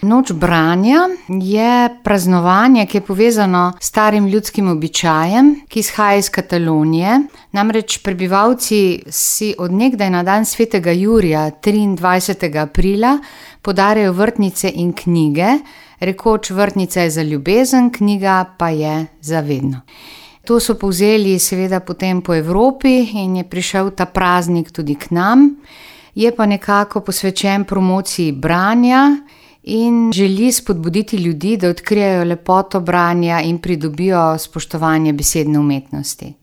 Noč branja je praznovanje, ki je povezano s starim ljudskim običajem, ki izhaja iz Katalonije. Namreč prebivalci si od nekdaj na dan svetega Jurija, 23. aprila, podarjajo vrtnice in knjige, rekoč: vrtnica je za ljubezen, knjiga pa je za vedno. To so povzeli seveda potem po Evropi in je prišel ta praznik tudi k nam. Je pa nekako posvečen promociji branja in želi spodbuditi ljudi, da odkrijejo lepoto branja in pridobijo spoštovanje besedne umetnosti.